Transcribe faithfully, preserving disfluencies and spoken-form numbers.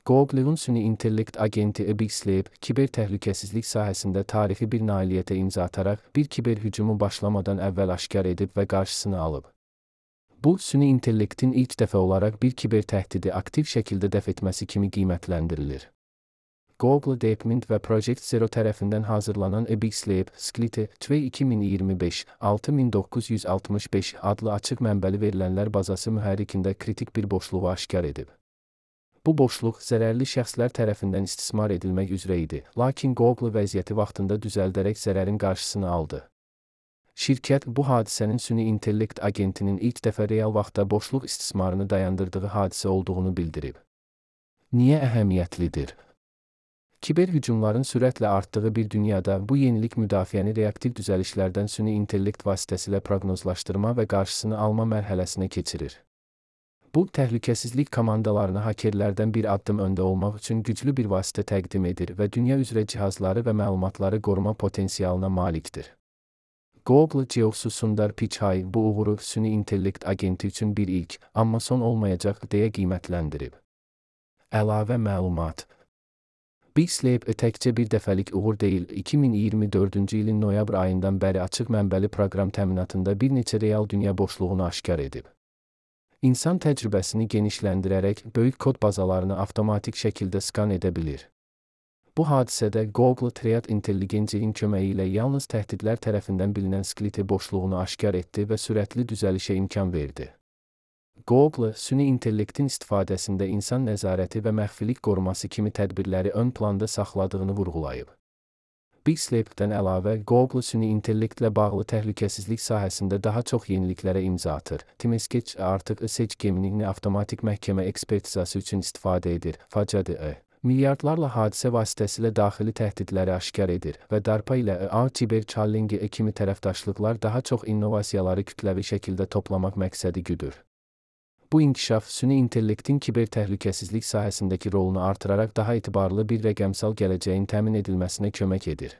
Google'un süni intellekt agenti Bixlab, kiber təhlükəsizlik sahəsində tarixi bir nailiyyətə imza ataraq bir kiber hücumu başlamadan əvvəl aşkar edib və qarşısını alıb. Bu, süni intellektin ilk dəfə olaraq bir kiber təhdidi aktiv şəkildə dəf etməsi kimi qiymətləndirilir. Google Deepmind və Project Zero tərəfindən hazırlanan Bixlab, Skliti, iki min iyirmi beş altı min doqquz yüz altmış beş adlı açıq mənbəli verilənlər bazası mühərrikində kritik bir boşluğu aşkar edib. Bu boşluq zərərli şəxslər tərəfindən istismar edilmək üzrə idi, lakin Google vəziyyəti vaxtında düzəldərək zərərin qarşısını aldı. Şirkət bu hadisənin süni intellekt agentinin ilk dəfə real vaxtda boşluq istismarını dayandırdığı hadisə olduğunu bildirib. Niyə əhəmiyyətlidir? Kiber hücumların sürətlə artdığı bir dünyada bu yenilik müdafiəni reaktiv düzəlişlərdən süni intellekt vasitəsilə proqnozlaşdırma və qarşısını alma mərhələsinə keçirir. Bu, təhlükəsizlik komandalarına hakerlərdən bir addım öndə olmaq üçün güclü bir vasitə təqdim edir və dünya üzrə cihazları və məlumatları qoruma potensialına malikdir. Google C E O-su Sundar Pichai bu uğuru süni intellekt agenti üçün bir ilk, amma son olmayacaq deyə qiymətləndirib. Əlavə məlumat. Bixlab təkcə bir dəfəlik uğur deyil, iki min iyirmi dördüncü ilin noyabr ayından bəri açıq mənbəli proqram təminatında bir neçə real dünya boşluğunu aşkar edib. İnsan təcrübəsini genişləndirərək böyük kod bazalarını avtomatik şəkildə skan edə bilir. Bu hadisədə Google Triad intelligenceyin köməyi ilə yalnız təhdidlər tərəfindən bilinən Skliti boşluğunu aşkar etdi və sürətli düzəlişə imkan verdi. Google, süni intellektin istifadəsində insan nəzarəti və məxfilik qoruması kimi tədbirləri ön planda saxladığını vurğulayıb. Bixlab'dən əlavə, Google süni intellektlə bağlı təhlükəsizlik sahəsində daha çox yeniliklərə imza atır. Timeskeç artıq Search Gemini avtomatik məhkəmə ekspertizası üçün istifadə edir. Facadı milyardlarla hadisə vasitəsilə daxili təhdidləri aşkar edir və DARPA ilə A Cyber Challenge kimi tərəfdaşlıqlar daha çox innovasiyaları kütləvi şəkildə toplamaq məqsədi güdür. Bu inkişaf, süni intellektin kiber təhlükəsizlik sahəsindəki rolunu artıraraq daha etibarlı bir rəqəmsal gələcəyin təmin edilməsinə kömək edir.